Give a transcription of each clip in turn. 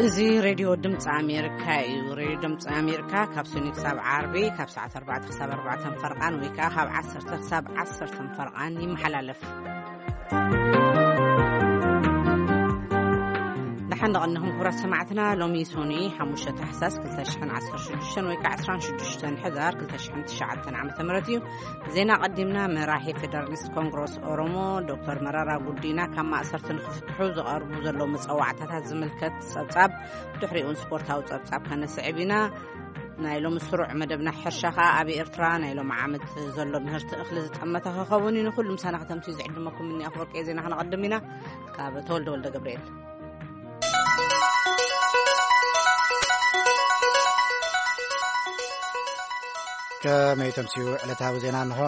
እዚ ሬድዮ ድምፂ ኣሜሪካ እዩ። ሬድዮ ድምፂ ኣሜሪካ ካብ ሰኒ ክሳብ ዓርቢ ካብ ሰዓት ኣርባዕተ ክሳብ ኣርባዕተ ፈርቓን ወይ ከዓ ካብ ዓሰርተ ክሳብ ዓሰርተ ፈርቓን ይመሓላለፍ። ደሓን ደቐንኹም ክቡራት ሰማዕትና። ሎሚ ሶኒ ሓሙሽተ ታሕሳስ ክልተ ሽሕን ዓሰርተ ሽዱሽተን ወይ ከዓ ዕስራን ሽዱሽተን ሕዳር ክልተ ሽሕን ትሽዓተን ዓመተ ምህረት እዩ። ዜና ቀዲምና። መራሒ ፌደራሊስት ኮንግረስ ኦሮሞ ዶክተር መራራ ጉዲና ካብ ማእሰርቲ ንክፍትሑ ዝቐርቡ ዘለዉ መፀዋዕታታት ዝምልከት ጸብጻብ፣ ድሕሪኡን ስፖርታዊ ጸብጻብ ከነስዕብ ኢና። ናይ ሎሚ ስሩዕ መደብና ሕርሻ ከኣ ኣብ ኤርትራ ናይ ሎሚ ዓመት ዘሎ ምህርቲ እኽሊ ዝጠመተ ክኸውን እዩ። ንኹሉ ምሳና ከተምስዩ ዝዕድመኩም እኒ ኣፍወርቂ ዜና ክነቐድም ኢና። ካብ ተወልደ ወልደ ገብርኤል። ከመይ ተምስዩ ዕለታዊ ዜና እንሆ።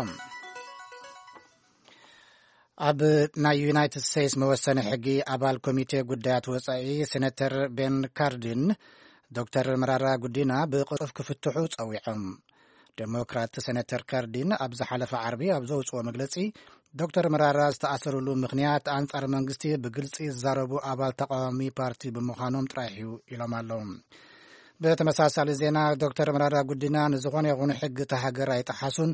ኣብ ናይ ዩናይትድ ስቴትስ መወሰኒ ሕጊ ኣባል ኮሚቴ ጉዳያት ወጻኢ ሴነተር ቤን ካርዲን ዶክተር መራራ ጉዲና ብቕልጡፍ ክፍትሑ ጸዊዖም። ዴሞክራት ሴነተር ካርዲን ኣብ ዝሓለፈ ዓርቢ ኣብ ዘውጽኦ መግለጺ፣ ዶክተር መራራ ዝተኣሰሩሉ ምኽንያት ኣንጻር መንግስቲ ብግልጺ ዝዛረቡ ኣባል ተቃዋሚ ፓርቲ ብምዃኖም ጥራሕ እዩ ኢሎም ኣለዉ። ብተመሳሳሊ ዜና፣ ዶክተር መራራ ጉዲና ንዝኾነ ይኹን ሕጊ እታ ሃገር ኣይጠሓሱን፣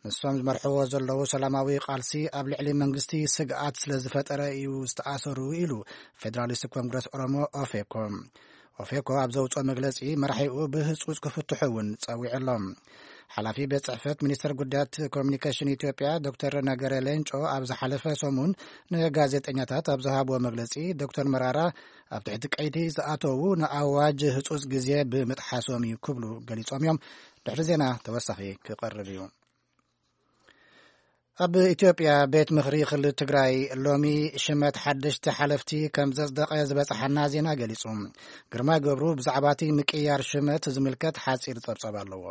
ንሶም ዝመርሕዎ ዘለዉ ሰላማዊ ቃልሲ ኣብ ልዕሊ መንግስቲ ስግኣት ስለ ዝፈጠረ እዩ ዝተኣሰሩ ኢሉ ፌደራሊስት ኮንግረስ ኦሮሞ ኦፌኮ። ኦፌኮ ኣብ ዘውፅኦ መግለፂ፣ መራሒኡ ብህፁፅ ክፍትሑ እውን ፀዊዑ ኣሎ። ሓላፊ ቤት ፅሕፈት ሚኒስትር ጉዳያት ኮሚኒኬሽን ኢትዮጵያ ዶክተር ነገረ ሌንጮ ኣብ ዝሓለፈ ሰሙን ንጋዜጠኛታት ኣብ ዝሃብዎ መግለፂ፣ ዶክተር መራራ ኣብ ትሕቲ ቀይዲ ዝኣተዉ ንኣዋጅ ህፁፅ ግዜ ብምጥሓሶም እዩ ክብሉ ገሊፆም እዮም። ድሕሪ ዜና ተወሳኺ ክቐርብ እዩ። ኣብ ኢትዮጵያ ቤት ምኽሪ ክልል ትግራይ ሎሚ ሽመት ሓደሽቲ ሓለፍቲ ከም ዘጽደቐ ዝበጽሓና ዜና ገሊጹ። ግርማይ ገብሩ ብዛዕባ እቲ ምቅያር ሽመት ዝምልከት ሓጺር ጸብጻብ ኣለዎ።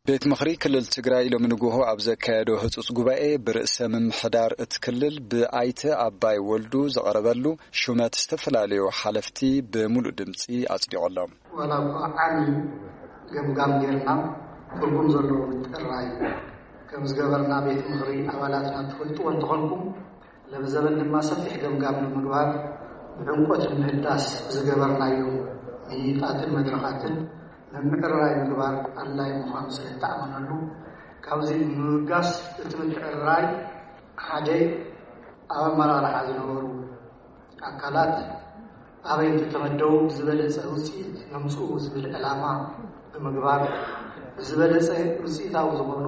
ቤት ምኽሪ ክልል ትግራይ ሎሚ ንግሆ ኣብ ዘካየዶ ህጹጽ ጉባኤ፣ ብርእሰ ምምሕዳር እቲ ክልል ብኣይተ ኣባይ ወልዱ ዝቐረበሉ ሹመት ዝተፈላለዩ ሓለፍቲ ብምሉእ ድምጺ ኣጽዲቑ ኣሎ። ዋላ እኳ ዓሚ ገምጋም ጌርና፣ ትርጉም ዘለዎ ምጥራይ ከም ዝገበርና ቤት ምኽሪ ኣባላትና ትፈልጥዎ እንተኾንኩም፣ ለብዘበን ድማ ሰፊሕ ገምጋም ንምግባር ብዕምቆት ንምህዳስ ዝገበርናዮ ምይይጣትን መድረኻትን ምምዕርራይ ምግባር ኣድላዪ ምዃኑ ስለ እተኣመነሉ፣ ካብዚ ንምብጋስ እቲ ምትዕርራይ ሓደ ኣብ ኣመራርሓ ዝነበሩ ኣካላት ኣበይ እንተተመደቡ ብዝበለጸ ውጽኢት የምጽኡ ዝብል ዕላማ ብምግባር፣ ብዝበለጸ ውጽኢታዊ ዝኾኑ፣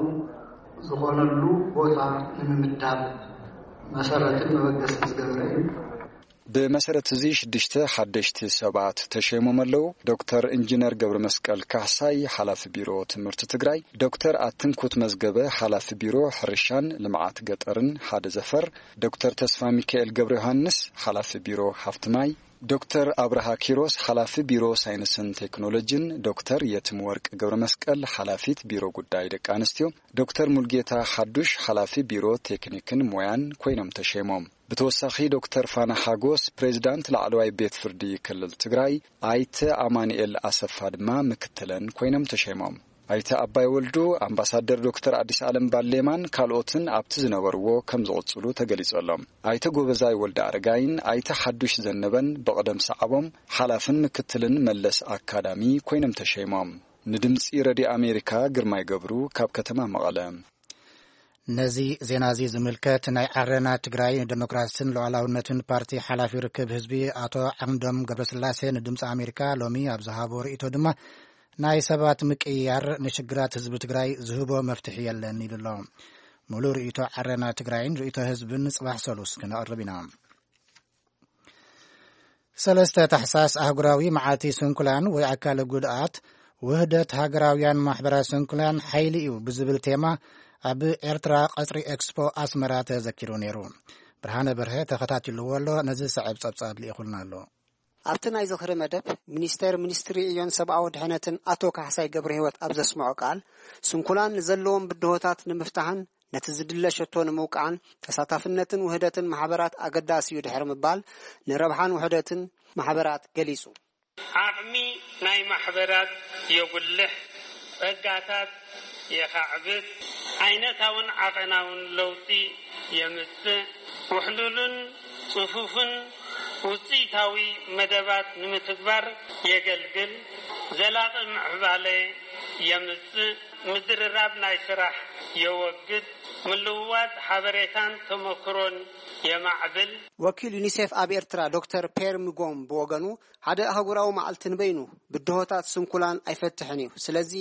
ዝኾነሉ ቦታ ንምምዳብ መሰረትን መበገስን ዝገበረ እዩ። ብመሰረት እዚ ሽዱሽተ ሓደሽቲ ሰባት ተሸይሞም ኣለዉ። ዶክተር ኢንጂነር ገብረ መስቀል ካሕሳይ፣ ሓላፊ ቢሮ ትምህርቲ ትግራይ፣ ዶክተር ኣትንኩት መዝገበ፣ ሓላፊ ቢሮ ሕርሻን ልምዓት ገጠርን ሓደ ዘፈር፣ ዶክተር ተስፋ ሚካኤል ገብረ ዮሃንስ፣ ሓላፊ ቢሮ ሃፍቲ ማይ፣ ዶክተር ኣብርሃ ኪሮስ፣ ሓላፊ ቢሮ ሳይንስን ቴክኖሎጂን፣ ዶክተር የትም ወርቅ ገብረ መስቀል፣ ሓላፊት ቢሮ ጉዳይ ደቂ ኣንስትዮ፣ ዶክተር ሙልጌታ ሓዱሽ፣ ሓላፊ ቢሮ ቴክኒክን ሞያን ኮይኖም ተሸይሞም። ብተወሳኺ ዶክተር ፋና ሓጎስ፣ ፕሬዚዳንት ላዕለዋይ ቤት ፍርዲ ክልል ትግራይ፣ ኣይተ ኣማኑኤል ኣሰፋ ድማ ምክትለን ኮይኖም ተሸይሞም። ኣይተ ኣባይ ወልዱ፣ ኣምባሳደር ዶክተር ኣዲስ ኣለም ባሌማን ካልኦትን ኣብቲ ዝነበርዎ ከም ዝቕጽሉ ተገሊጹ ኣሎ። ኣይተ ጎበዛይ ወልደ ኣረጋይን ኣይተ ሓዱሽ ዘነበን ብቕደም ሰዓቦም ሓላፍን ምክትልን መለስ ኣካዳሚ ኮይኖም ተሸይሞም። ንድምጺ ረድዮ ኣሜሪካ ግርማይ ገብሩ ካብ ከተማ መቐለ። ነዚ ዜና እዚ ዝምልከት ናይ ዓረና ትግራይ ንደሞክራስን ሉዓላውነትን ፓርቲ ሓላፊ ርክብ ህዝቢ ኣቶ ዓምዶም ገብረስላሴ ንድምፂ ኣሜሪካ ሎሚ ኣብ ዝሃቦ ርእይቶ ድማ ናይ ሰባት ምቅይያር ንሽግራት ህዝቢ ትግራይ ዝህቦ መፍትሒ የለን ኢሉ ኣሎ። ሙሉእ ርእይቶ ዓረና ትግራይን ርእይቶ ህዝብን ጽባሕ ሰሉስ ክነቕርብ ኢና። ሰለስተ ታሕሳስ ኣህጉራዊ መዓልቲ ስንኩላን ወይ ኣካለ ጉድኣት ውህደት ሃገራውያን ማሕበራት ስንኩላን ሓይሊ እዩ ብዝብል ቴማ ኣብ ኤርትራ ቀጽሪ ኤክስፖ ኣስመራ ተዘኪሩ ነይሩ። ብርሃነ በርሀ ተኸታቲልዎ ኣሎ፣ ነዚ ሰዕብ ጸብጻብ ልኢኹልና ኣሎ። ኣብቲ ናይ ዝኽሪ መደብ፣ ሚኒስቴር ሚኒስትሪ ዕዮን ሰብኣዊ ድሕነትን ኣቶ ካሕሳይ ገብረ ህይወት ኣብ ዘስምዖ ቃል፣ ስንኩላን ንዘለዎም ብድሆታት ንምፍታሕን ነቲ ዝድለ ሸቶ ንምውቃዕን ተሳታፍነትን ውህደትን ማሕበራት ኣገዳሲ እዩ ድሕሪ ምባል፣ ንረብሓን ውህደትን ማሕበራት ገሊጹ። ዓቕሚ ናይ ማሕበራት የጉልሕ፣ ጸጋታት የኻዕብት፣ ዓይነታውን ዓቐናውን ለውጢ የምጽእ፣ ውሕሉልን ጽፉፍን ውፅኢታዊ መደባት ንምትግባር የገልግል፣ ዘላቒ ምዕባለ የምፅእ፣ ምድርራብ ናይ ስራሕ የወግድ፣ ምልውዋጥ ሓበሬታን ተመክሮን የማዕብል። ወኪል ዩኒሴፍ ኣብ ኤርትራ ዶክተር ፔር ምጎም ብወገኑ፣ ሓደ ኣህጉራዊ መዓልቲ ንበይኑ ብድሆታት ስንኩላን ኣይፈትሕን እዩ። ስለዚ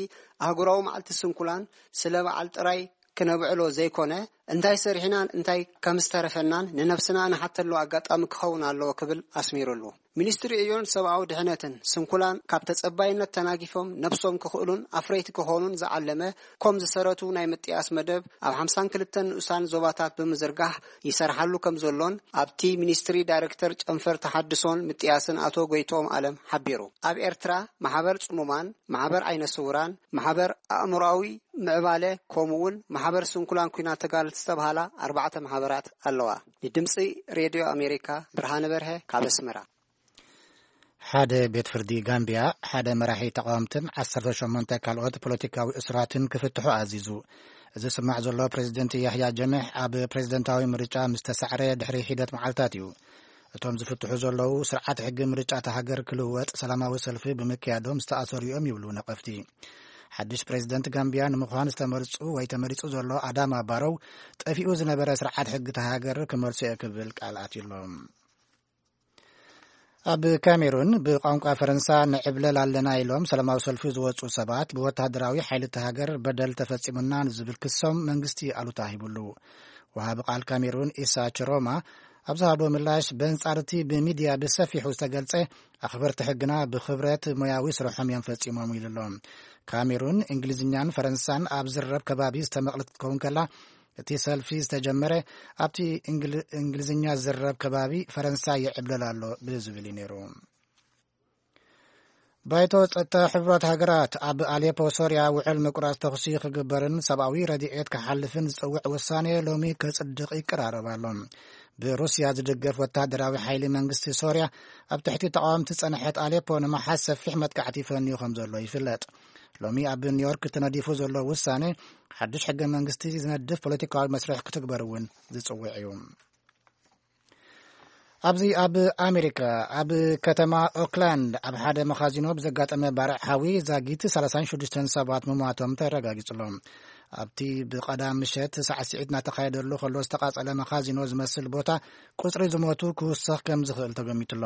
ኣህጉራዊ መዓልቲ ስንኩላን ስለ በዓል ጥራይ ክነብዕሎ ዘይኮነ፣ እንታይ ሰሪሕናን እንታይ ከም ዝተረፈናን ንነብስና ንሓተሉ ኣጋጣሚ ክኸውን ኣለዎ ክብል ኣስሚሩሉ። ሚኒስትሪ ዕዮን ሰብኣዊ ድሕነትን ስንኩላን ካብ ተጸባይነት ተናጊፎም ነብሶም ክኽእሉን ኣፍረይቲ ክኾኑን ዝዓለመ ኮም ዝሰረቱ ናይ ምጥያስ መደብ ኣብ ሓምሳን ክልተን ንኡሳን ዞባታት ብምዝርጋሕ ይሰርሓሉ ከም ዘሎን ኣብቲ ሚኒስትሪ ዳይሬክተር ጨንፈር ተሓድሶን ምጥያስን ኣቶ ጎይትኦም ኣለም ሓቢሩ። ኣብ ኤርትራ ማሕበር ጽሙማን፣ ማሕበር ዓይነ ስውራን፣ ማሕበር ኣእምሮኣዊ ምዕባለ ከምኡ እውን ማሕበር ስንኩላን ኲናት ተጋደልቲ ዝተብሃላ ኣርባዕተ ማሕበራት ኣለዋ። ንድምጺ ሬድዮ ኣሜሪካ ብርሃነ በርሀ ካብ ኣስመራ። ሓደ ቤት ፍርዲ ጋምቢያ ሓደ መራሒ ተቃወምትን ዓሰርተ ሸሞንተ ካልኦት ፖለቲካዊ እሱራትን ክፍትሑ ኣዚዙ። እዚ ዝስማዕ ዘሎ ፕሬዚደንት ያህያ ጀምሕ ኣብ ፕሬዚደንታዊ ምርጫ ምስ ተሳዕረ ድሕሪ ሒደት መዓልታት እዩ። እቶም ዝፍትሑ ዘለዉ ስርዓት ሕጊ ምርጫ እታ ሃገር ክልወጥ ሰላማዊ ሰልፊ ብምክያዶም ዝተኣሰሩ እዮም ይብሉ ነቀፍቲ። ሓድሽ ፕሬዚደንት ጋምቢያ ንምዃን ዝተመርጹ ወይ ተመሪጹ ዘሎ ኣዳማ ባሮው ጠፊኡ ዝነበረ ስርዓት ሕጊ እታ ሃገር ክመልሶ እየ ክብል ቃል ኣትዩሎም። ኣብ ካሜሩን ብቋንቋ ፈረንሳ ንዕብለል ኣለና ኢሎም ሰላማዊ ሰልፊ ዝወጹ ሰባት ብወተሃደራዊ ሓይሊ እታ ሃገር በደል ተፈጺሙና ንዝብል ክሶም መንግስቲ ኣሉታ ሂቡሉ። ወሃቢ ቃል ካሜሩን ኢሳ ችሮማ ኣብ ዝሃቦ ምላሽ በንጻር እቲ ብሚድያ ብሰፊሑ ዝተገልጸ ኣኽበርቲ ሕግና ብኽብረት ሞያዊ ስርሖም እዮም ፈጺሞም ኢሉ ኣሎ። ካሜሩን እንግሊዝኛን ፈረንሳን ኣብ ዝረብ ከባቢ ዝተመቕለት ክትከውን ከላ እቲ ሰልፊ ዝተጀመረ ኣብቲ እንግል- እንግሊዝኛ ዝረብ ከባቢ ፈረንሳ ይዕብለል ኣሎ ብዝብል እዩ ነይሩ። ባይቶ ጸጥታ ሕቡራት ሃገራት ኣብ ኣሌፖ ሶርያ ውዕል ምቁራጽ ተኹሲ ክግበርን ሰብኣዊ ረድኤት ክሓልፍን ዝጽውዕ ውሳኔ ሎሚ ከጽድቕ ይቀራረብ ኣሎ። ብሩስያ ዝድገፍ ወታደራዊ ሓይሊ መንግስቲ ሶርያ ኣብ ትሕቲ ተቃወምቲ ጸንሐት ኣሌፖ ንምሓዝ ሰፊሕ መጥቃዕቲ ፈንዩ ከም ዘሎ ይፍለጥ። ሎሚ ኣብ ኒውዮርክ ተነዲፉ ዘሎ ውሳኔ ሓድሽ ሕገ መንግስቲ ዝነድፍ ፖለቲካዊ መስርሕ ክትግበር እውን ዝጽውዕ እዩ። ኣብዚ ኣብ ኣሜሪካ ኣብ ከተማ ኦክላንድ ኣብ ሓደ መኻዚኖ ብዘጋጠመ ባርዕ ሓዊ ዛጊት ሰላሳን ሽዱሽተን ሰባት ምሟቶም ተረጋጊጹ ኣሎ። ኣብቲ ብቐዳም ምሸት ሳዕስዒት እናተኻየደሉ ከሎ ዝተቓጸለ መኻዚኖ ዝመስል ቦታ ቁጽሪ ዝሞቱ ክውሰኽ ከም ዝኽእል ተገሚቱ ኣሎ።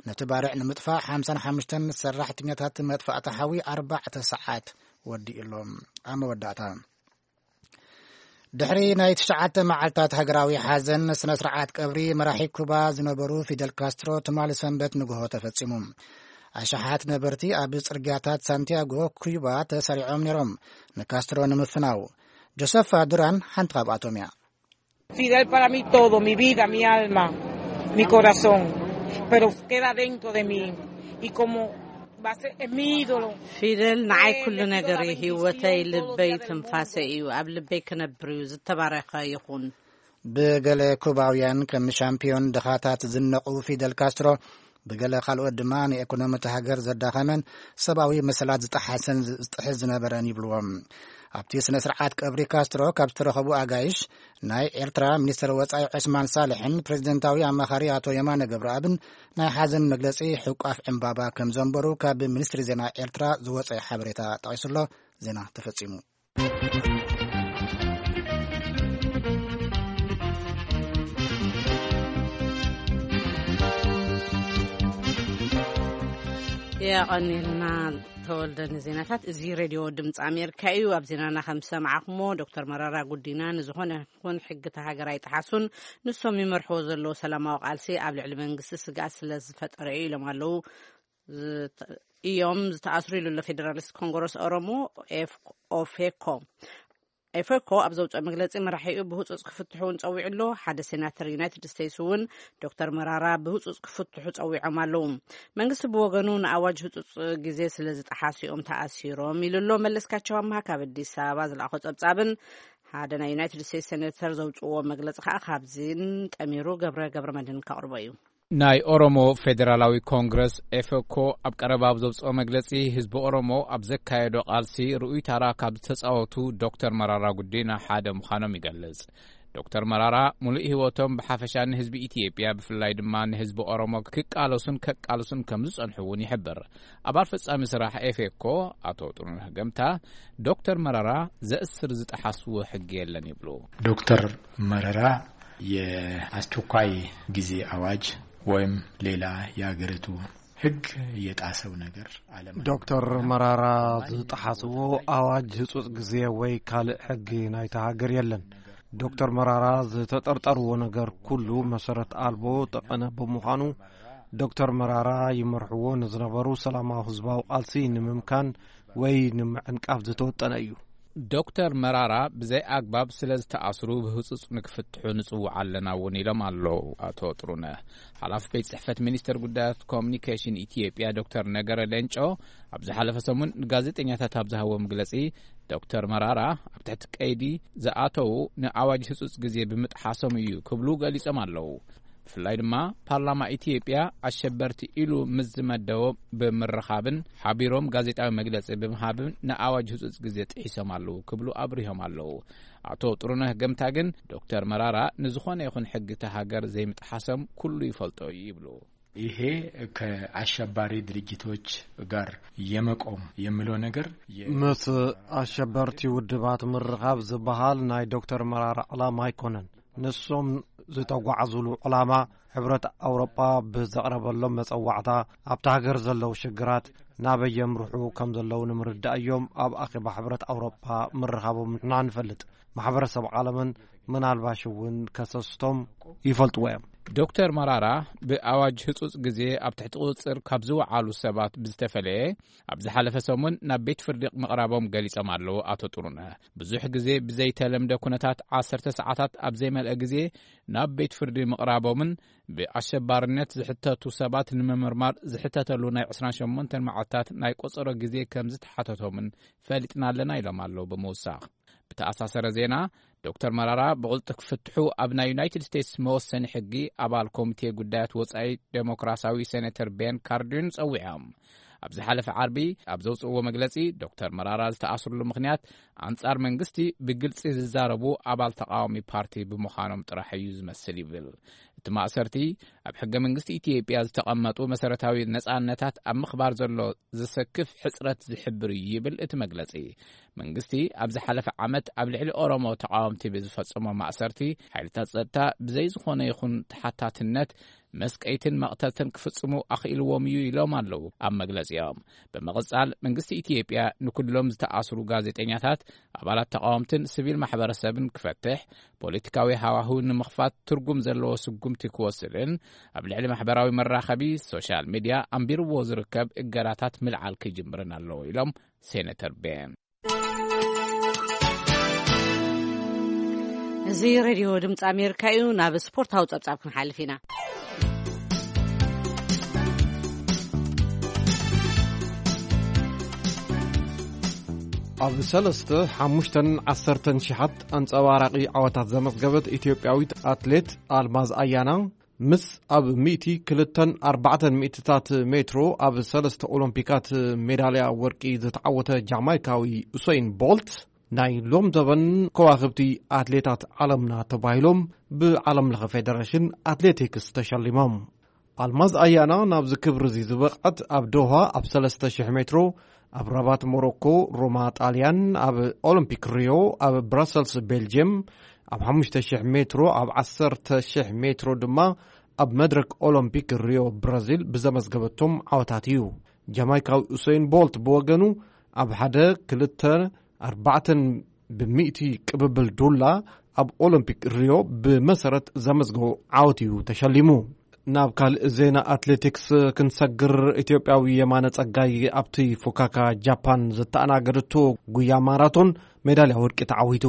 ነቲ ባርዕ ንምጥፋእ ሓምሳን ሓሙሽተን ሰራሕተኛታት መጥፋእቲ ሓዊ ኣርባዕተ ሰዓት ወዲኡ ኣሎ። ኣብ መወዳእታ ድሕሪ ናይ ትሽዓተ መዓልታት ሃገራዊ ሓዘን ስነ ስርዓት ቀብሪ መራሒ ኩባ ዝነበሩ ፊደል ካስትሮ ትማሊ ሰንበት ንግሆ ተፈጺሙ። ኣሽሓት ነበርቲ ኣብ ጽርግያታት ሳንቲያጎ ኩባ ተሰሪዖም ነይሮም ንካስትሮ ንምፍናው። ጆሰፋ ዱራን ሓንቲ ካብኣቶም እያ። Fidel para mí todo, mi vida, mi alma, mi corazón, pero queda dentro de mí y como va a ser, es mi ídolo. ፊደል ንዓይ ኩሉ ነገር እዩ፣ ህይወተይ፣ ልበይ፣ ትንፋሰይ እዩ። ኣብ ልበይ ክነብር እዩ። ዝተባረኸ ይኹን። ብገለ ኩባውያን ከም ሻምፒዮን ድኻታት ዝነቑ ፊደል ካስትሮ፣ ብገለ ካልኦት ድማ ንኤኮኖሚ እታ ሃገር ዘዳኸመን ሰብኣዊ መሰላት ዝጠሓሰን ዝጥሕስ ዝነበረን ይብልዎም። ኣብቲ ስነ ስርዓት ቀብሪ ካስትሮ ካብ ዝተረኸቡ ኣጋይሽ ናይ ኤርትራ ሚኒስትር ወጻኢ ዑስማን ሳልሕን ፕሬዚደንታዊ ኣማኻሪ ኣቶ የማነ ገብረኣብን ናይ ሓዘን መግለጺ ሕቋፍ ዕምባባ ከም ዘንበሩ ካብ ሚኒስትሪ ዜና ኤርትራ ዝወጸ ሓበሬታ ጠቒሱሎ። ዜና ተፈጺሙ። የቐኒልና ተወልደ ንዜናታት። እዚ ሬድዮ ድምፂ ኣሜሪካ እዩ። ኣብ ዜናና ከም ዝሰማዕኹሞ ዶክተር መራራ ጉዲና ንዝኾነ ይኹን ሕጊ እታ ሃገር ኣይጠሓሱን፣ ንሶም ይመርሕዎ ዘለዉ ሰላማዊ ቃልሲ ኣብ ልዕሊ መንግስቲ ስግኣት ስለ ዝፈጠረ እዩ ኢሎም ኣለዉ። እዮም ዝተኣስሩ ኢሉ ኣሎ ፌደራሊስት ኮንግረስ ኦሮሞ ኦፌኮ። ኤፌኮ ኣብ ዘውፅኦ መግለፂ መራሒኡ ብህፁፅ ክፍትሑ እውን ፀዊዑ ኣሎ። ሓደ ሴናተር ዩናይትድ ስቴትስ እውን ዶክተር መራራ ብህፁፅ ክፍትሑ ፀዊዖም ኣለዉ። መንግስቲ ብወገኑ ንኣዋጅ ህፁፅ ግዜ ስለ ዝጠሓሱ እዮም ተኣሲሮም ኢሉ ኣሎ። መለስካቸው ኣምሃ ካብ ኣዲስ ኣበባ ዝለኣኾ ፀብፃብን ሓደ ናይ ዩናይትድ ስቴትስ ሴኔተር ዘውፅዎ መግለፂ ከዓ ካብዚን ጠሚሩ ገብረ ገብረ መድህን ከቕርቦ እዩ። ናይ ኦሮሞ ፌዴራላዊ ኮንግረስ ኤፈኮ ኣብ ቀረባ ኣብ ዘውፅኦ መግለፂ ህዝቢ ኦሮሞ ኣብ ዘካየዶ ቃልሲ ርኡይ ታራ ካብ ዝተፃወቱ ዶክተር መራራ ጉዲና ሓደ ምዃኖም ይገልፅ። ዶክተር መራራ ሙሉእ ህይወቶም ብሓፈሻ ንህዝቢ ኢትዮጵያ፣ ብፍላይ ድማ ንህዝቢ ኦሮሞ ክቃለሱን ከቃልሱን ከም ዝጸንሑ እውን ይሕብር። ኣባል ፈጻሚ ስራሕ ኤፌኮ ኣቶ ጥሩነህ ገምታ፣ ዶክተር መራራ ዘእስር ዝጠሓስዎ ሕጊ የለን ይብሉ። ዶክተር መረራ የአስቸኳይ ጊዜ አዋጅ ወይም ሌላ የሀገሪቱ ህግ የጣሰው ነገር አለመኖር። ዶክተር መራራ ዝጠሓስዎ ኣዋጅ ህጹጽ ግዜ ወይ ካልእ ሕጊ ናይታ ሃገር የለን። ዶክተር መራራ ዝተጠርጠርዎ ነገር ኩሉ መሰረት ኣልቦ ጠቐነ ብምዃኑ፣ ዶክተር መራራ ይመርሕዎ ንዝነበሩ ሰላማዊ ህዝባዊ ቃልሲ ንምምካን ወይ ንምዕንቃፍ ዝተወጠነ እዩ። ዶክተር መራራ ብዘይ ኣግባብ ስለ ዝተኣስሩ ብህጹጽ ንክፍትሑ ንጽውዕ ኣለና እውን ኢሎም ኣለዉ ኣቶ ጥሩነህ። ሓላፊ ቤት ጽሕፈት ሚኒስቴር ጉዳያት ኮሚኒኬሽን ኢትዮጵያ ዶክተር ነገረ ሌንጮ ኣብ ዝሓለፈ ሰሙን ንጋዜጠኛታት ኣብ ዝሃቦ መግለጺ፣ ዶክተር መራራ ኣብ ትሕቲ ቀይዲ ዝኣተዉ ንኣዋጅ ህጹጽ ግዜ ብምጥሓሶም እዩ ክብሉ ገሊጾም ኣለዉ። ብፍላይ ድማ ፓርላማ ኢትዮጵያ ኣሸበርቲ ኢሉ ምስ ዝመደቦ ብምርኻብን ሓቢሮም ጋዜጣዊ መግለጺ ብምሃብን ንኣዋጅ ህጹጽ ግዜ ጥሒሶም ኣለዉ ክብሉ ኣብሪሆም ኣለዉ። ኣቶ ጥሩነህ ገምታ ግን ዶክተር መራራ ንዝኾነ ይኹን ሕጊ እታ ሃገር ዘይምጥሓሶም ኩሉ ይፈልጦ እዩ ይብሉ። ይሄ ከአሸባሪ ድርጅቶች ጋር የመቆም የሚለው ነገር የ- ምስ ኣሸበርቲ ውድባት ምርኻብ ዝበሃል ናይ ዶክተር መራራ ዕላማ ኣይኮነን። ንሶም ዝተጓዓዙሉ ዕላማ፣ ሕብረት ኣውሮጳ ብዘቕረበሎም መጸዋዕታ፣ ኣብታ ሃገር ዘለዉ ሽግራት ናበይ የምርሑ ከም ዘለዉ ንምርዳእ እዮም ኣብ ኣኼባ ሕብረት ኣውሮጳ ምርኻቦም ንሕና ንፈልጥ። ማሕበረሰብ ዓለምን ምናልባሽ እውን ከሰስቶም ይፈልጥዎ እዮም። ዶክተር መራራ ብኣዋጅ ህጹጽ ግዜ ኣብ ትሕቲ ቁጽጽር ካብ ዝወዓሉ ሰባት ብዝተፈለየ፣ ኣብ ዝሓለፈ ሰሙን ናብ ቤት ፍርዲ ምቕራቦም ገሊጾም ኣለዉ ኣቶ ጥሩነህ። ብዙሕ ግዜ ብዘይተለምደ ኩነታት ዓሰርተ ሰዓታት ኣብ ዘይመልአ ግዜ ናብ ቤት ፍርዲ ምቕራቦምን ብኣሸባርነት ዝሕተቱ ሰባት ንምምርማር ዝሕተተሉ ናይ ዕስራን ሸሞንተን መዓልታት ናይ ቆጸሮ ግዜ ከም ዝተሓተቶምን ፈሊጥና ኣለና ኢሎም ኣለዉ ብምውሳኽ። ብተኣሳሰረ ዜና፣ ዶክተር መራራ ብቕልጡፍ ክፍትሑ ኣብ ናይ ዩናይትድ ስቴትስ መወሰኒ ሕጊ ኣባል ኮሚቴ ጉዳያት ወጻኢ ዴሞክራሲያዊ ሴኔተር ቤን ካርዲን ጸዊዖም። ኣብ ዝሓለፈ ዓርቢ ኣብ ዘውጽእዎ መግለጺ፣ ዶክተር መራራ ዝተኣስርሉ ምኽንያት ኣንጻር መንግስቲ ብግልጺ ዝዛረቡ ኣባል ተቃዋሚ ፓርቲ ብምዃኖም ጥራሕ እዩ ዝመስል ይብል። እቲ ማእሰርቲ ኣብ ሕገ መንግስቲ ኢትዮጵያ ዝተቐመጡ መሰረታዊ ነጻነታት ኣብ ምኽባር ዘሎ ዘሰክፍ ሕጽረት ዝሕብር እዩ ይብል እቲ መግለጺ። መንግስቲ ኣብ ዝሓለፈ ዓመት ኣብ ልዕሊ ኦሮሞ ተቃወምቲ ብዝፈጸሞ ማእሰርቲ፣ ሓይልታት ጸጥታ ብዘይ ዝኾነ ይኹን ተሓታትነት መስቀይትን መቕተልትን ክፍጽሙ ኣኽኢልዎም እዩ ኢሎም ኣለዉ ኣብ መግለጺኦም። ብምቕጻል መንግስቲ ኢትዮጵያ ንኩሎም ዝተኣስሩ ጋዜጠኛታት፣ ኣባላት ተቃወምትን ሲቪል ማሕበረሰብን ክፈትሕ፣ ፖለቲካዊ ሃዋህው ንምኽፋት ትርጉም ዘለዎ ስጉምቲ ክወስድን ኣብ ልዕሊ ማሕበራዊ መራኸቢ ሶሻል ሚድያ ኣንቢርዎ ዝርከብ እገዳታት ምልዓል ክጅምርን ኣለዎ ኢሎም ሴነተር ቤን። እዚ ሬድዮ ድምፂ ኣሜሪካ እዩ። ናብ ስፖርታዊ ፀብፃብ ክንሓልፍ ኢና። ኣብ ሰለስተ፣ ሓሙሽተን ዓሰርተን ሽሓት ኣንጸባራቒ ዓወታት ዘመዝገበት ኢትዮጵያዊት ኣትሌት ኣልማዝ ኣያና፣ ምስ ኣብ ሚእቲ ክልተን ኣርባዕተን ሚእትታት ሜትሮ ኣብ ሰለስተ ኦሎምፒካት ሜዳልያ ወርቂ ዝተዓወተ ጃማይካዊ ኡሰይን ቦልት፣ ናይ ሎም ዘበን ከዋኽብቲ ኣትሌታት ዓለምና ተባሂሎም ብዓለም ለኸ ፌደሬሽን ኣትሌቲክስ ተሸሊሞም። ኣልማዝ ኣያና ናብዚ ክብሪ እዚ ዝበቕዐት ኣብ ዶሃ ኣብ ሰለስተ ሽሕ ሜትሮ፣ ኣብ ራባት ሞሮኮ፣ ሮማ ጣልያን፣ ኣብ ኦሎምፒክ ሪዮ፣ ኣብ ብራሰልስ ቤልጅየም፣ ኣብ ሓሙሽተ ሽሕ ሜትሮ፣ ኣብ ዓሰርተ ሽሕ ሜትሮ ድማ ኣብ መድረክ ኦሎምፒክ ሪዮ ብራዚል ብዘመዝገበቶም ዓወታት እዩ። ጃማይካዊ ኡሰይን ቦልት ብወገኑ፣ ኣብ ሓደ፣ ክልተ፣ ኣርባዕተን ብሚእቲ ቅብብል ዱላ ኣብ ኦሎምፒክ ሪዮ ብመሰረት ዘመዝገቦ ዓወት እዩ ተሸሊሙ። ናብ ካልእ ዜና ኣትሌቲክስ ክንሰግር፣ ኢትዮጵያዊ የማነ ጸጋይ ኣብቲ ፉካካ ጃፓን ዝተኣናገደቶ ጉያ ማራቶን ሜዳልያ ወርቂ ተዓዊቱ።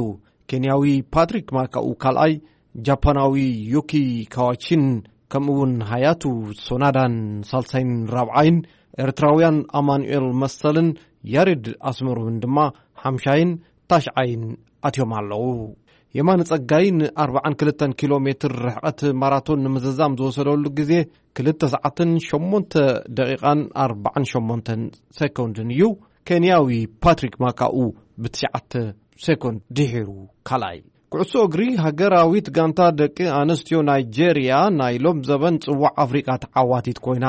ኬንያዊ ፓትሪክ ማካኡ ካልኣይ፣ ጃፓናዊ ዩኪ ካዋቺን ከምኡውን ሃያቱ ሶናዳን ሳልሳይን ራብዓይን፣ ኤርትራውያን ኣማኑኤል መሰልን ያሬድ ኣስመሮምን ድማ ሓምሻይን ታሽዓይን ኣትዮም ኣለዉ። የማነ ጸጋይ ን ኣርባዓን ክልተን ኪሎ ሜትር ርሕቐት ማራቶን ንምዝዛም ዝወሰደሉ ግዜ ክልተ ሰዓትን ሸሞንተ ደቂቓን ኣርባዓን ሸሞንተን ሴኮንድን እዩ። ኬንያዊ ፓትሪክ ማካኡ ብትሽዓተ ሴኮንድ ድሒሩ ካልኣይ። ኩዕሶ እግሪ፣ ሃገራዊት ጋንታ ደቂ ኣንስትዮ ናይጄርያ ናይ ሎም ዘበን ጽዋዕ ኣፍሪቃ ተዓዋቲት ኮይና።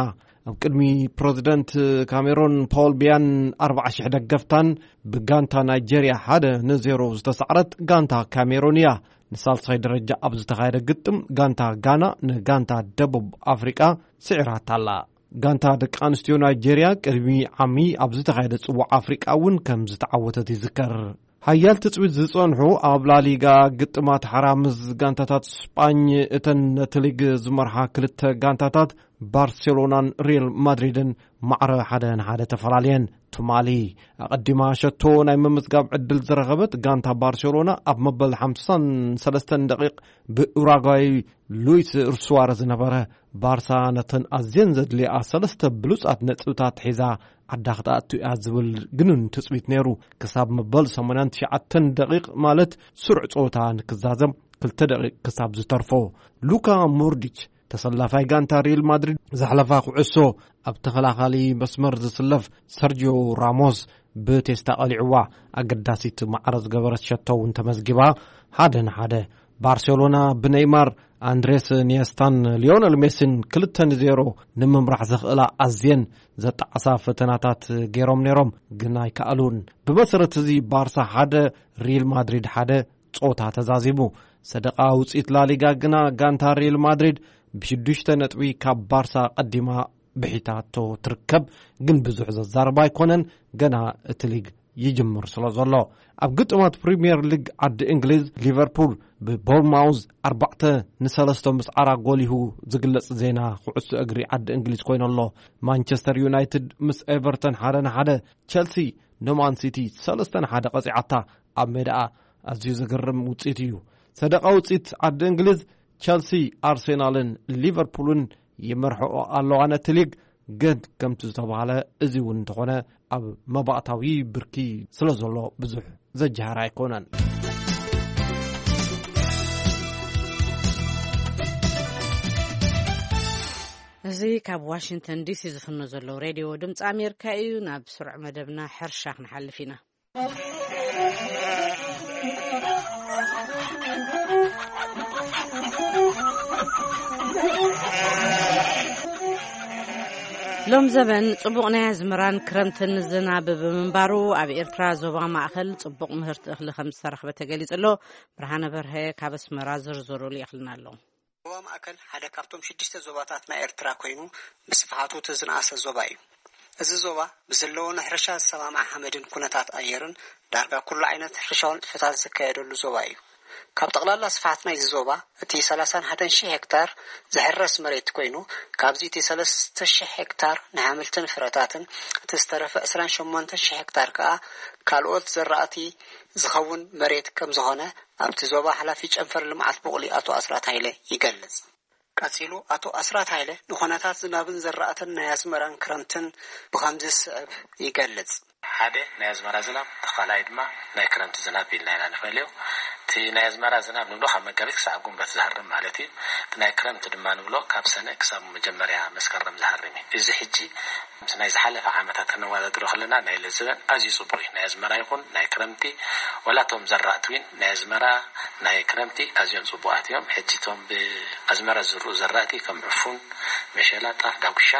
ኣብ ቅድሚ ፕረዚደንት ካሜሮን ፖል ቢያን ኣርባዓ ሽሕ ደገፍታን ብጋንታ ናይጄርያ ሓደ ንዜሮ ዝተሳዕረት ጋንታ ካሜሮን እያ። ንሳልሳይ ደረጃ ኣብ ዝተኻየደ ግጥም፣ ጋንታ ጋና ንጋንታ ደቡብ ኣፍሪቃ ስዒራታ ኣላ። ጋንታ ደቂ ኣንስትዮ ናይጄርያ ቅድሚ ዓሚ ኣብ ዝተኻየደ ጽዋዕ ኣፍሪቃ እውን ከም ዝተዓወተት ይዝከር። ሓያል ትጽቢት ዝጸንሑ ኣብ ላሊጋ ግጥማት ሓራ ምስ ጋንታታት ስጳኝ፣ እተን ነቲ ሊግ ዝመርሓ ክልተ ጋንታታት ባርሴሎናን ሪል ማድሪድን ማዕረ ሓደ ንሓደ ተፈላለየን። ትማሊ ኣቐዲማ ሸቶ ናይ ምምዝጋብ ዕድል ዝረኸበት ጋንታ ባርሴሎና፣ ኣብ መበል ሓምሳን ሰለስተን ደቂቕ ብኡራጓይ ሉዊስ ሱዋረዝ ዝነበረ ባርሳ ነተን ኣዝየን ዘድልያ ሰለስተ ብሉጻት ነጥብታት ሒዛ ዓዳ ክትኣቱ እያ ዝብል ግኑን ትጽቢት ነይሩ። ክሳብ መበል ሰማንያን ትሽዓተን ደቂቕ፣ ማለት ስሩዕ ጸወታ ንክዛዘም ክልተ ደቂቕ ክሳብ ዝተርፎ፣ ሉካ ሞድሪች፣ ተሰላፋይ ጋንታ ሪል ማድሪድ፣ ዘሕለፋ ኩዕሶ ኣብ ተኸላኻሊ መስመር ዝስለፍ ሰርጂዮ ራሞስ ብቴስታ ቀሊዕዋ። ኣገዳሲት ማዕረ ዝገበረት ሸቶ እውን ተመዝጊባ። ሓደ ንሓደ፣ ባርሴሎና ብኔይማር፣ ኣንድሬስ ኒየስታን ሊዮነል ሜሲን ክልተ ንዜሮ ንምምራሕ ዘኽእላ ኣዝየን ዘጣዕሳ ፈተናታት ገይሮም ነይሮም፣ ግን ኣይከኣሉን። ብመሰረት እዚ፣ ባርሳ ሓደ፣ ሪል ማድሪድ ሓደ ጾታ ተዛዚሙ። ሰደቓ ውጽኢት ላሊጋ ግና፣ ጋንታ ሪል ማድሪድ ብሽዱሽተ ነጥቢ ካብ ባርሳ ቀዲማ ብሒታቶ ትርከብ፣ ግን ብዙሕ ዘዛርብ ኣይኮነን። ገና እቲ ሊግ ይጅምር ስለ ዘሎ። ኣብ ግጥማት ፕሪምየር ሊግ ዓዲ እንግሊዝ፣ ሊቨርፑል ብቦርማውዝ ኣርባዕተ ንሰለስተ ምስዓራ ጎሊሁ ዝግለጽ ዜና ኩዕሶ እግሪ ዓዲ እንግሊዝ ኮይኑ ኣሎ። ማንቸስተር ዩናይትድ ምስ ኤቨርተን ሓደ ንሓደ፣ ቸልሲ ንማን ሲቲ ሰለስተ ንሓደ ቀጺዓታ። ኣብ ሜዳኣ ኣዝዩ ዘገርም ውጽኢት እዩ። ሰደቓ ውጽኢት ዓዲ እንግሊዝ፣ ቸልሲ፣ ኣርሴናልን ሊቨርፑልን ይመርሕኦ ኣለዋ ነቲ ሊግ። ግን ከምቲ ዝተባህለ፣ እዚ እውን እንተኾነ፣ ኣብ መባእታዊ ብርኪ ስለ ዘሎ ብዙሕ ዘጀሃር ኣይኮነን። እዚ ካብ ዋሽንግተን ዲሲ ዝፍኖ ዘሎ ሬድዮ ድምፂ ኣሜሪካ እዩ። ናብ ስሩዕ መደብና ሕርሻ ክንሓልፍ ኢና። ሎም ዘበን ጽቡቕ ናይ ኣዝመራን ክረምትን ዝናብ ብምንባሩ፣ ኣብ ኤርትራ ዞባ ማእከል ጽቡቕ ምህርቲ እኽሊ ከም ዝተረኽበ ተገሊጹ ኣሎ። ብርሃነ በርሀ ካብ ኣስመራ ዝርዝሩ ልኢኽልና ኣሎ። ዞባ ማእከል ሓደ ካብቶም ሽዱሽተ ዞባታት ናይ ኤርትራ ኮይኑ፣ ብስፍሓቱ እቲ ዝነኣሰ ዞባ እዩ። እዚ ዞባ ብዘለዎ ንሕርሻ ዝሰማማዕ ሓመድን ኩነታት ኣየርን፣ ዳርጋ ኩሉ ዓይነት ሕርሻዊ ንጥፈታት ዝካየደሉ ዞባ እዩ። ካብ ጠቕላላ ስፍሓት ናይዚ ዞባ፣ እቲ ሰላሳን ሓደን ሺሕ ሄክታር ዝሕረስ መሬት ኮይኑ፣ ካብዚ እቲ ሰለስተ ሺሕ ሄክታር ንሓምልትን ፍረታትን፣ እቲ ዝተረፈ ዕስራን ሸሞንተን ሺሕ ሄክታር ከኣ ካልኦት ዘራእቲ ዝኸውን መሬት ከም ዝኾነ፣ ኣብቲ ዞባ ሓላፊ ጨንፈር ልምዓት ቡቕሊ ኣቶ ኣስራት ሃይለ ይገልጽ። ቀጺሉ ኣቶ ኣስራት ሃይለ ንኹነታት ዝናብን ዘራእትን ናይ ኣዝመራን ክረምትን ብኸምዚ ዝስዕብ ይገልጽ። ሓደ ናይ ኣዝመራ ዝናብ፣ እቲ ካልኣይ ድማ ናይ ክረምቲ ዝናብ ኢልና ኢና ንፈልዮ። እቲ ናይ ኣዝመራ ዝናብ ንብሎ ካብ መጋቢት ክሳብ ግንቦት ዝሃርም ማለት እዩ። እቲ ናይ ክረምቲ ድማ ንብሎ ካብ ሰነ ክሳብ መጀመርያ መስከረም ዝሃርም እዩ። እዚ ሕጂ ምስ ናይ ዝሓለፈ ዓመታት ክነወዳድሮ ከለና፣ ናይ ሎምዘበን ኣዝዩ ጽቡቕ እዩ። ናይ ኣዝመራ ይኹን ናይ ክረምቲ፣ ዋላ እቶም ዘራእቲ እውን ናይ ኣዝመራ ናይ ክረምቲ ኣዝዮም ጽቡቓት እዮም። ሕጂ እቶም ብኣዝመራ ዝዝርኡ ዘራእቲ ከም ዕፉን፣ መሸላ፣ ጣፍ፣ ዳጉሻ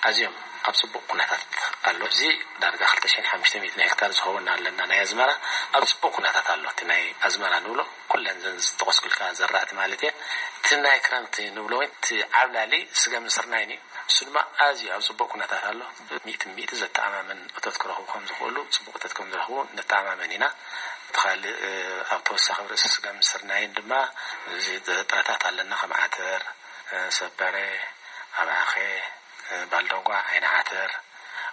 ኣዝዮም ኣብ ጽቡቕ ኩነታት ኣሎ። እዚ ዳርጋ ክልተ ሽሕን ሓሙሽተ ሚእትን ሄክታር ዝኸውን ኣለና ናይ ኣዝመራ፣ ኣብ ጽቡቕ ኩነታት ኣሎ። እቲ ናይ ኣዝመራ ንብሎ ኩለን ዘን ዝጠቐስኩልካ ዘራእቲ ማለት እየ። እቲ ናይ ክረምቲ ንብሎ እውን እቲ ዓብላሊ ስገምን ስርናይን እዩ። እሱ ድማ ኣዝዩ ኣብ ጽቡቕ ኩነታት ኣሎ። ሚእቲ ሚእቲ ዘተኣማምን እቶት ክረኽቡ ከም ዝኽእሉ፣ ጽቡቕ እቶት ከም ዝረኽቡ ንተኣማመን ኢና። እቲ ካልእ፣ ኣብ ተወሳኺ ርእሲ ስገምን ስርናይን ድማ እዚ ጥረታት ኣለና፣ ከም ዓተር፣ ሰበረ፣ ኣብዓኸ፣ ባልደንጓ፣ ዓይኒ ዓተር፣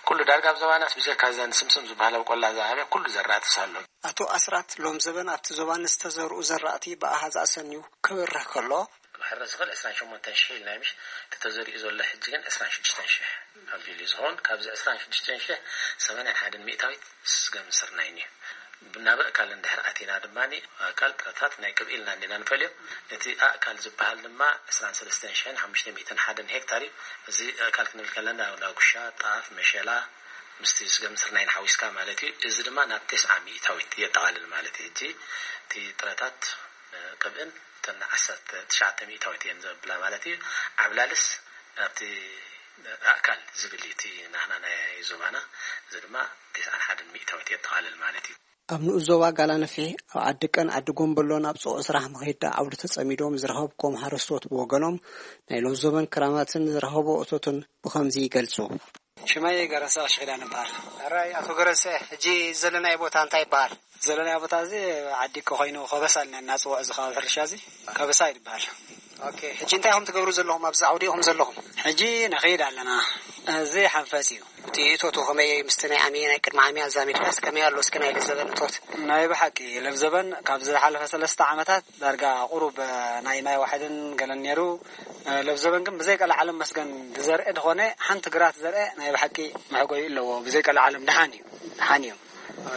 ኩሉ ዳርጋ ኣብ ዞባናስ ብጀካ እዘን ስምስም ዝበሃላ ኣብ ቆላ ዝዓበየ ኩሉ ዘራእትስ ኣሎ። ኣቶ ኣስራት፣ ሎም ዘበን ኣብቲ ዞባ ንዝተዘርኡ ዘራእቲ ብኣሃዝ ኣሰንዩ ክብርህ ከሎ፣ ክሕረስ ዝኽእል ዕስራን ሸሞንተን ሽሕ ኢልና እዩ፣ ምሽ? እቲ ተዘሪኡ ዘሎ ሕጂ ግን ዕስራን ሽዱሽተን ሽሕ ኣቢሉ እዩ ዝኸውን። ካብዚ ዕስራን ሽዱሽተን ሽሕ፣ ሰማንያን ሓደን ሚእታዊት ስገም ስርናይን እዩ። ናብ ኣእካል እንድሕር ኣቲና ድማ፣ ኣእካል ጥረታት ናይ ቅብኢ ኢልና እንዲና ንፈልዮ። እቲ ኣእካል ዝበሃል ድማ ዕስራን ሰለስተን ሽሕን ሓሙሽተ ሚእትን ሓደን ሄክታር እዩ። እዚ ኣእካል ክንብል ከለና፣ ዳጉሻ፣ ጣፍ፣ መሸላ፣ ምስቲ ስገም ስርናይን ሓዊስካ ማለት እዩ። እዚ ድማ ናብ ተስዓ ሚእታዊት የጠቓልል ማለት እዩ። ሕጂ እቲ ጥረታት ቅብእን እተን ዓሰርተ ትሽዓተ ሚእታዊት እየን ዘብላ ማለት እዩ። ዓብላልስ ናብቲ ኣእካል ዝብል እዩ እቲ ናህና ናይ ዞባና፣ እዚ ድማ ተስዓን ሓደን ሚእታዊት የጠቓልል ማለት እዩ። ኣብ ንኡስ ዞባ ጋላነፍሒ ኣብ ዓዲ ቀን ዓዲ ጎምበሎ ናብ ጽዑቕ ስራሕ መኸዳ ዓውዲ ተጸሚዶም ዝረኸብኩም ሓረስቶት ብወገኖም ናይ ሎምዘበን ክራማትን ዝረኸቦ እቶትን ብኸምዚ ይገልጹ። ሽመይ ገረሰ ቀሺ ኪዳን ይበሃል። ሕራይ ኣቶ ገረሰ፣ ሕጂ ዘለናዮ ቦታ እንታይ ይበሃል? ዘለናዮ ቦታ እዚ ዓዲ እኮ ኮይኑ ከበሳ ኢልና እናፅውዖ እዚ ከባቢ ሕርሻ እዚ ከበሳ ይበሃል። ኦኬ፣ ሕጂ እንታይ ኢኹም ትገብሩ ዘለኹም ኣብዚ ዓውዲ ኢኹም ዘለኹም? ሕጂ ንኸይድ ኣለና። እዚ ሓንፈፅ እዩ። እቲ እቶቱ ከመይ ምስቲ ናይ ዓሚ ናይ ቅድሚ ዓሚ ኣዛሚድካስ ከመይ ኣሎ እስኪ ናይ ለዘበን እቶት? ናይ ብሓቂ ለብዘበን ካብ ዝሓለፈ ሰለስተ ዓመታት ዳርጋ ቁሩብ ናይ ማይ ዋሕድን ገለን ነይሩ። ለብዘበን ግን ብዘይ ቀልዓለም መስገን ዝዘርአ ዝኾነ ሓንቲ ግራት ዘርአ ናይ ብሓቂ መሕጎዩ ኣለዎ። ብዘይ ቀልዓለም ደሓን እዩ። ደሓን እዩ።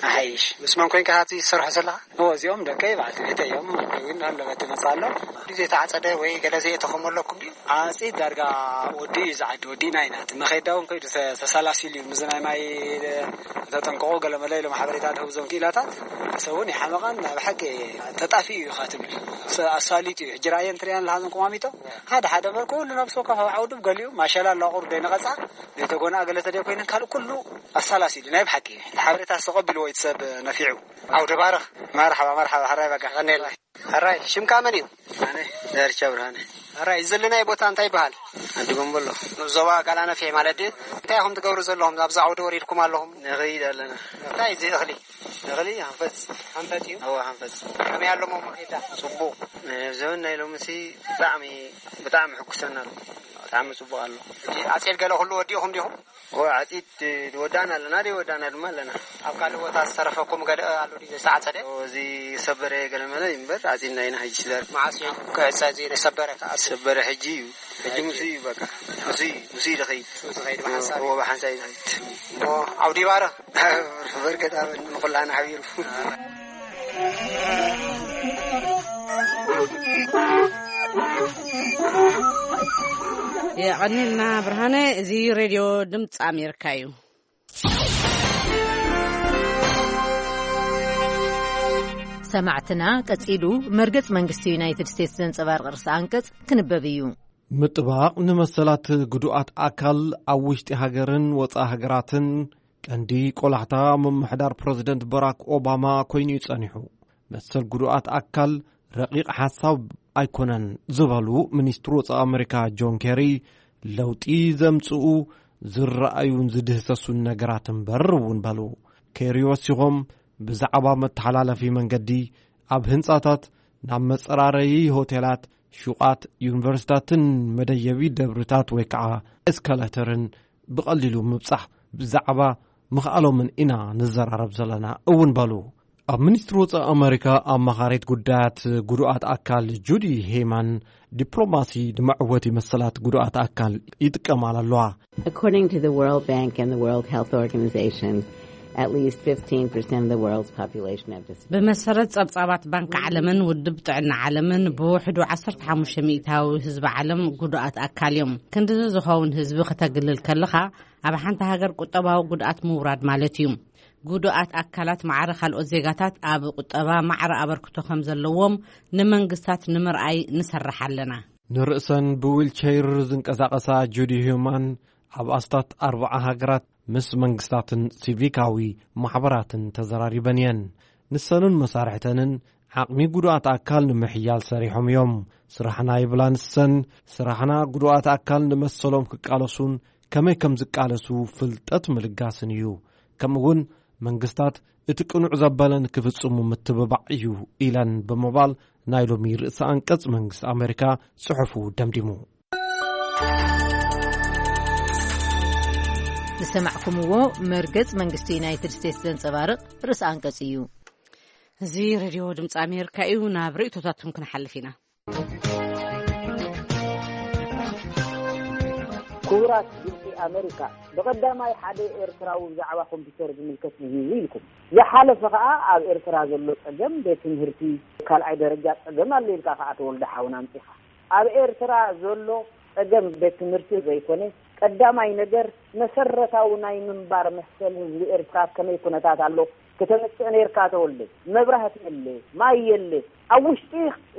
ኣሓይሽ። ምስ መን ኮይንካ ሃብቲ ዝሰርሖ ዘለኻ? እዎ፣ እዚኦም ደቀይ በዓልቲ ቤተይ እዮም። ግን ኣለበት ትመጽእ ኣሎ። ዘይተዓጸደ ወይ ገለ ዘይእተኸሞ ኣለኩም ድዩ? ዓጺድ ዳርጋ ወዲ እዩ ዝዓዲ፣ ወዲእና ኢና። እቲ መኸዳ እውን ከይዱ ተ-፣ ተሰላሲሉ እዩ። ምስ ናይ ማይ ተጠንቀቑ ገለ መለ ኢሎም ሓበሬታ ድህቡ እዞም ክኢላታት። ሰብ እውን ይሓመቐን ናይ ብሓቂ ተጣፊኡ እዩ ኢኻ ትብል። ሰ-፣ ኣሳሊጡ እዩ። ሕጂ ርኣየን ትሪኣን ኣለኻ እዞም ቁማሚጦ። ሓደ ሓደ እምበር ኩሉ ነብሲ ወከፍ ኣብ ዓውዱ ገሊኡ ማሸላ ኣሎ ኣቑሩ ደይነቐጻ፣ ዘይተጎንኣ ገለ ተደይ ኮይነን ካልእ ኩሉ ኣሳላሲሉ ናይ ብሓቂ ሓበሬታ ዝተቐቢልዎ እዩ እቲ ሰብ ነፊዑ። ዓውደ ባርኽ። መርሓባ፣ መርሓባ፣ ሕራይ በቃ። ቀኔል። ሕራይ፣ ሽምካ መን እዩ? ኣነ ዳርቻ ብርሃነ። ሕራይ፣ እዚ ዘለናዮ ቦታ እንታይ ይበሃል? ዓዲ ጎምቦሎ። ዞባ ጋላነፍሒ ማለት ድዩ? እንታይ ኢኹም ትገብሩ ዘለኹም? ኣብዚ ዓውዲ ወሪድኩም ኣለኹም? ንኸይድ ኣለና። እንታይ እዚ እኽሊ? እኽሊ ሓንፈፅ። ሓንፈፅ እዩ? እወ፣ ሓንፈፅ። ከመይ ኣሎ መኸዳ? ጽቡቕ። ዘበን ናይ ሎምሲ ብጣዕሚ፣ ብጣዕሚ ሕጉሰና ኣሎ። ብጣዕሚ ጽቡቕ ኣሎ። ሕጂ ኣጼል ገለ ኩሉ ወዲእኹም ዲኹም? እወ፣ ዓጺድ ወዳእና ኣለና፣ ደይ ወዳእና ድማ ኣለና። ኣብ ካልእ ቦታ ዝተረፈኩም ገለ ኣሎ ድዩ ዝተዓጸደ? እወ፣ እዚ ሰበረ ገለ መለ እዩ እምበር፣ ዓጺድና ኢና ሕጂ ስለ መዓስ እዩ ክዕጸ እዚ ሰበረ? ሰበረ ሕጂ እዩ። ሕጂ ምስ እዩ በቃ። ምስ እዩ፣ ምስ እዩ ዝኸይድ። ምስ እዩ ዝኸይድ ብሓንሳብ እዩ። እወ፣ ብሓንሳብ እዩ ዝኸይድ። እሞ ዓውዲ ይባረኽ። በርከት ኣበል ንኹላና ሓቢሩ። የቐኒልና ብርሃነ። እዚ ሬድዮ ድምፂ ኣሜሪካ እዩ። ሰማዕትና፣ ቀጺሉ መርገጽ መንግስቲ ዩናይትድ ስቴትስ ዘንጸባርቕ ርእሰ ኣንቀጽ ክንበብ እዩ። ምጥባቕ ንመሰላት ግዱኣት ኣካል ኣብ ውሽጢ ሃገርን ወጻኢ ሃገራትን ቀንዲ ቆላሕታ ምምሕዳር ፕረዚደንት በራክ ኦባማ ኮይኑ እዩ ጸኒሑ። መሰል ግዱኣት ኣካል ረቂቕ ሓሳብ ኣይኮነን ዝበሉ ሚኒስትር ወጻኢ ኣመሪካ ጆን ኬሪ፣ ለውጢ ዘምጽኡ ዝረኣዩን ዝድህሰሱን ነገራት እምበር እውን በሉ። ኬሪ ወሲኾም፣ ብዛዕባ መተሓላለፊ መንገዲ፣ ኣብ ህንጻታት፣ ናብ መጸራረዪ ሆቴላት፣ ሹቓት፣ ዩኒቨርሲታትን መደየቢ ደብርታት ወይ ከዓ ኤስካሌተርን ብቐሊሉ ምብጻሕ ብዛዕባ ምኽኣሎምን ኢና ንዘራረብ ዘለና እውን በሉ። ኣብ ሚኒስትሪ ወጻኢ ኣመሪካ ኣማኻሪት ጉዳያት ጉዱኣት ኣካል ጁዲ ሄይማን፣ ዲፕሎማሲ ንመዕወቲ መሰላት ጉዱኣት ኣካል ይጥቀማል ኣለዋ። According to the World Bank and the World Health Organization, at least fifteen percent of the world's population have disabilities. ብመሰረት ጸብጻባት ባንክ ዓለምን ውድብ ጥዕና ዓለምን፣ ብውሕዱ ዓሰርተ ሓሙሽተ ሚእታዊ ህዝቢ ዓለም ጉዱኣት ኣካል እዮም። ክንድዚ ዝኸውን ህዝቢ ከተግልል ከለኻ፣ ኣብ ሓንቲ ሃገር ቁጠባዊ ጉድኣት ምውራድ ማለት እዩ። ጉዱኣት ኣካላት ማዕረ ካልኦት ዜጋታት ኣብ ቁጠባ ማዕረ ኣበርክቶ ከም ዘለዎም ንመንግስታት ንምርኣይ ንሰርሕ ኣለና። ንርእሰን ብዊልቸይር ዝንቀሳቐሳ ጁዲ ሂዩማን፣ ኣብ ኣስታት ኣርብዓ ሃገራት ምስ መንግስታትን ሲቪካዊ ማሕበራትን ተዘራሪበን እየን። ንሰንን መሳርሕተንን ዓቕሚ ጉዱኣት ኣካል ንምሕያል ሰሪሖም እዮም። ስራሕና ይብላ ንሰን፣ ስራሕና ጉዱኣት ኣካል ንመሰሎም ክቃለሱን ከመይ ከም ዝቃለሱ ፍልጠት ምልጋስን እዩ። ከምኡውን መንግስታት እቲ ቅኑዕ ዘበለ ንክፍጽሙ ምትብባዕ እዩ ኢለን ብምባል ናይ ሎሚ ርእሰ ኣንቀጽ መንግስቲ ኣመሪካ ጽሑፉ ደምዲሙ። ዝሰማዕኩምዎ መርገጽ መንግስቲ ዩናይትድ ስቴትስ ዘንጸባርቕ ርእሰ ኣንቀጽ እዩ። እዚ ሬድዮ ድምፂ ኣሜሪካ እዩ። ናብ ርእይቶታትኩም ክንሓልፍ ኢና። ክቡራት ድምፂ ኣመሪካ፣ ብቐዳማይ ሓደ ኤርትራዊ ብዛዕባ ኮምፒውተር ዝምልከት ንሂቡ ኢልኩም። ዝሓለፈ ከኣ ኣብ ኤርትራ ዘሎ ጸገም ቤት ትምህርቲ ካልኣይ ደረጃ ጸገም ኣሎ ኢልካ ከኣ ተወልደ ሓውና ኣምጺኻ። ኣብ ኤርትራ ዘሎ ጸገም ቤት ትምህርቲ ዘይኮነ፣ ቀዳማይ ነገር መሰረታዊ ናይ ምንባር መሰል ህዝቢ ኤርትራ ኣብ ከመይ ኩነታት ኣሎ፣ ከተምጽእ ነርካ ተወልደ፣ መብራህቲ የለ፣ ማይ የለ። ኣብ ውሽጢ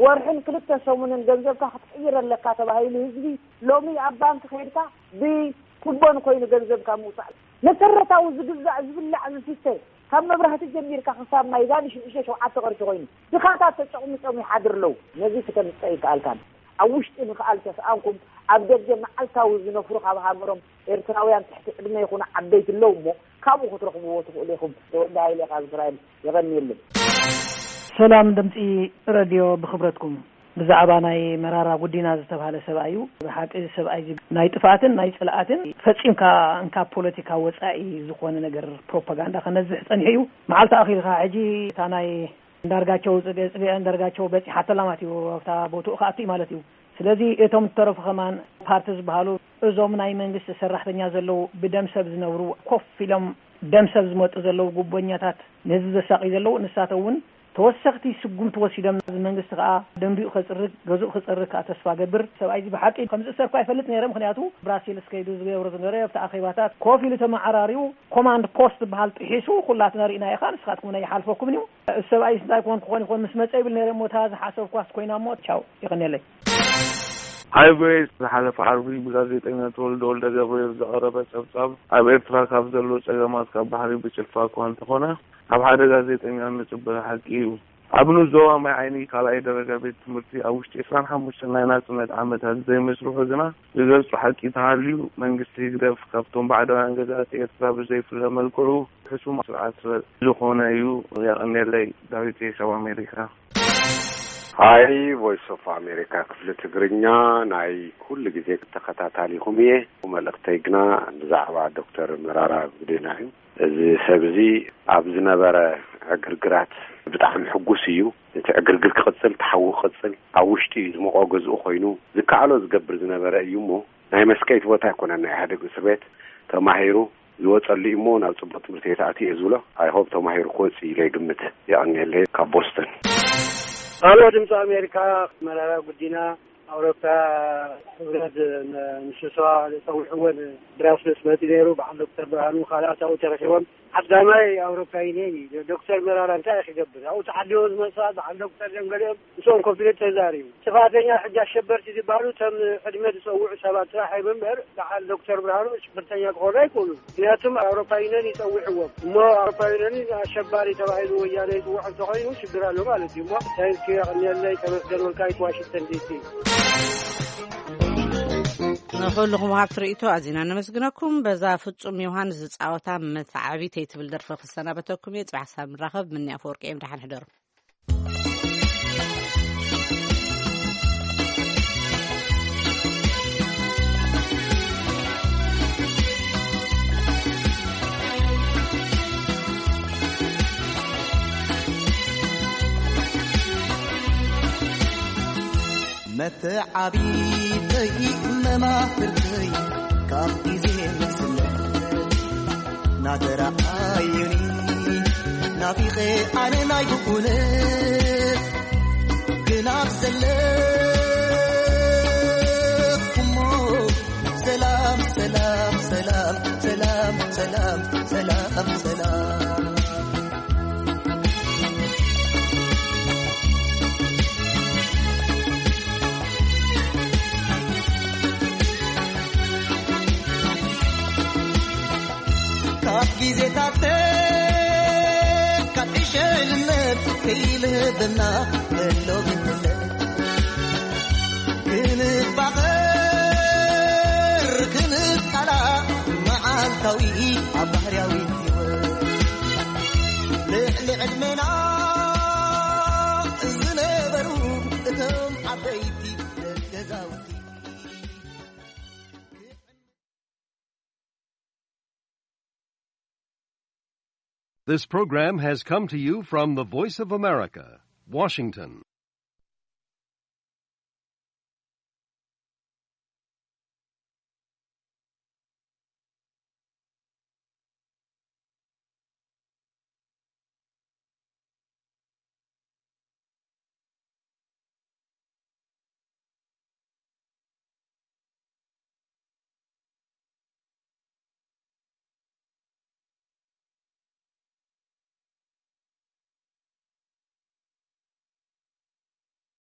ወርሕን ክልተ ሰሙንን ገንዘብካ ክትቅይር ኣለካ ተባሂሉ ህዝቢ ሎሚ ኣብ ባንክ ከይድካ ብኩቦን ኮይኑ ገንዘብካ ምውጻእ። መሰረታዊ ዝግዛእ ዝብላዕ ዝስተ ካብ መብራህቲ ጀሚርካ ክሳብ ማይ ዛን ሽዱሽተ ሸውዓተ ቅርሺ ኮይኑ ድኻታት ተጨቕሚጦም ይሓድር ኣለዉ። ነዚ ክተምጽእ ኣይከኣልካን። ኣብ ውሽጢ ምኽኣል ተስኣንኩም ኣብ ደገ መዓልታዊ ዝነፍሩ ካብ ሃገሮም ኤርትራውያን ትሕቲ ዕድመ ይኹኑ ዓበይቲ ኣለዉ እሞ ካብኡ ክትረኽብዎ ትኽእሉ ኢኹም። ተወልደ ሃይለ ካብ እስራኤል። የቐንየለይ። ሰላም ድምፂ ረድዮ፣ ብኽብረትኩም ብዛዕባ ናይ መራራ ጉዲና ዝተባህለ ሰብኣይ እዩ። ብሓቂ እዚ ሰብኣይ እዚ ናይ ጥፍኣትን ናይ ፅልኣትን ፈፂምካ እንካብ ፖለቲካ ወፃኢ ዝኾነ ነገር ፕሮፓጋንዳ ከነዝሕ ፀኒሑ እዩ። መዓልቲ ኣኺልካ ሕጂ እታ ናይ እንዳርጋቸው ፅገ ፅገ እንዳርጋቸው በፂሓተላ ማለት እዩ። ኣብታ ቦትኡ ክኣቱ እዩ ማለት እዩ። ስለዚ እቶም እተረፉ ከማን ፓርቲ ዝበሃሉ እዞም ናይ መንግስቲ ሰራሕተኛ ዘለዉ ብደም ሰብ ዝነብሩ ኮፍ ኢሎም ደም ሰብ ዝመጡ ዘለዉ ጉቦኛታት ነዚ ዘሳቂ ዘለዉ ንሳቶም እውን ተወሰኽቲ ስጉምቲ ወሲዶም እዚ መንግስቲ ከዓ ደንቢኡ ከፅርግ ገዝኡ ክፀርግ ከዓ ተስፋ ገብር። ሰብኣይ እዚ ብሓቂ ከምዚ እሰርኳ ይፈልጥ ነይረ። ምክንያቱ ብራሴልስ ከይዱ ዝገብሮ ዝነበረ ኣብቲ ኣኼባታት ኮፍ ኢሉ ተመዓራሪዩ ኮማንድ ፖስት ዝበሃል ጥሒሱ ኩላትና ርኢና ኢኻ ንስኻትኩም ናይ ይሓልፈኩም እዩ። እዚ ሰብኣይ እንታይ ኮን ክኾን ይኾን ምስ መፀ ይብል ነይረ እሞ እታ ዝሓሰብኳስ ኮይና እሞ ቻው ይቐንየለይ። ሃይ ቪኦኤ ዝሓለፈ ዓርቢ ብጋዜጠኛ ተወልደ ወልደ ገብርኤል ዝቐረበ ጸብጻብ ኣብ ኤርትራ ካብ ዘሎ ጸገማት ካብ ባሕሪ ብጭልፋ እኳ እንተኾነ ካብ ሓደ ጋዜጠኛ እንጽበዮ ሓቂ እዩ። ኣብ ንዞባ ማይ ዓይኒ ካልኣይ ደረጃ ቤት ትምህርቲ ኣብ ውሽጢ ዕስራን ሓሙሽተን ናይ ናጽነት ዓመታት ዘይመስርሑ ግና ዝገልጹ ሓቂ ተሃልዩ መንግስቲ ህግደፍ ካብቶም ባዕዳውያን ገዛእቲ ኤርትራ ብዘይፍለ መልክዑ ሕሱም ስርዓት ዝኾነ እዩ። የቐንየለይ። ዳዊት ካብ ኣሜሪካ። ሃይ ቮይስ ኦፍ ኣሜሪካ ክፍሊ ትግርኛ ናይ ኩሉ ግዜ ተኸታታሊኹም እየ። መልእኽተይ ግና ብዛዕባ ዶክተር መራራ ጉዲና እዩ። እዚ ሰብ እዚ ኣብ ዝነበረ ዕግርግራት ብጣዕሚ ሕጉስ እዩ። እቲ ዕግርግር ክቕጽል፣ እቲ ሓዊ ክቕጽል ኣብ ውሽጢ እዩ ዝሞቖ ገዝኡ ኮይኑ ዝከኣሎ ዝገብር ዝነበረ እዩ እሞ ናይ መስቀይት ቦታ ኣይኮነን ናይ ኢህኣደግ እስር ቤት ተማሂሩ ዝወፀሉ እዩ እሞ ናብ ፅቡቅ ትምህርቲ ቤት ኣትዩ እየ ዝብሎ። ኣይሆብ ተማሂሩ ክወፅእ ኢለ ይግምት። የቐንየለይ ካብ ቦስተን። ኣሎ ድምፂ ኣሜሪካ መራራ ጉዲና ኣውሮፓ ህብረት ንስብሰባ ፀዊዕዎ ብራስልስ መፂ ነይሩ። በዓል ዶክተር ብርሃኑ ካልኣት ኣብኡ ተረኪቦም ዓዳማይ ኣውሮፓ ዩኒየን እዩ። ዶክተር መራራ እንታይ ክገብር ኣብኡ ተሓዲዎ ዝመፅኣ በዓል ዶክተር ደንገሊኦም ምስኦም ኮፍ ኢሉ ተዛሪቡ። ጥፋተኛ ሕጂ ኣሸበርቲ ዝበሃሉ እቶም ዕድመ ዝፀውዑ ሰባት ጥራሕ እዮም እምበር በዓል ዶክተር ብርሃኑ ሽብርተኛ ክኾኑ ኣይክእሉን። ምክንያቱም ኣውሮፓ ዩኒየን ይፀውዕዎም እሞ ኣውሮፓ ዩኒየን ኣሸባሪ ተባሂሉ ወያነ ይፅውዖ እንተኾይኑ ሽግር ኣሎ ማለት እዩ። እሞ ታንኪ የቐንየለይ። ተመስገን ወልቃይት ዋሽንግተን ዲሲ። ንኹልኹም ወሃብቲ ርእይቶ ኣዚና ነመስግነኩም። በዛ ፍጹም ዮሃንስ ዝጻወታ መተዓቢተይ ትብል ደርፊ ክሰናበተኩም እየ። ጽባሕ ሳብ ንራኸብ። ምንያ ኣፈወርቂ እየ። ደሓን ሕደሩ። መተዓቢተይ መማህርተይ ካብ ግዜ ንስለ ናተረኣዩኒ ናፊቐ ኣነ ናይ ብኩነት ግን ኣብ ዘለኹሞ ሰላም ሰላም ሰላም ሰላም ሰላም ሰላም ሰላም ካብ ግዜታት ካብ ዕሸልነት ከይልህብና ከሎ ግንነት ክንፋቐር ክንቃላእ መዓልታዊ ኣብ ባህርያዊ ህይወት ልዕሊ ዕድመና ዝነበሩ እቶም ዓበይቲ ገዛውቲ። This program has come to you from the Voice of America, Washington.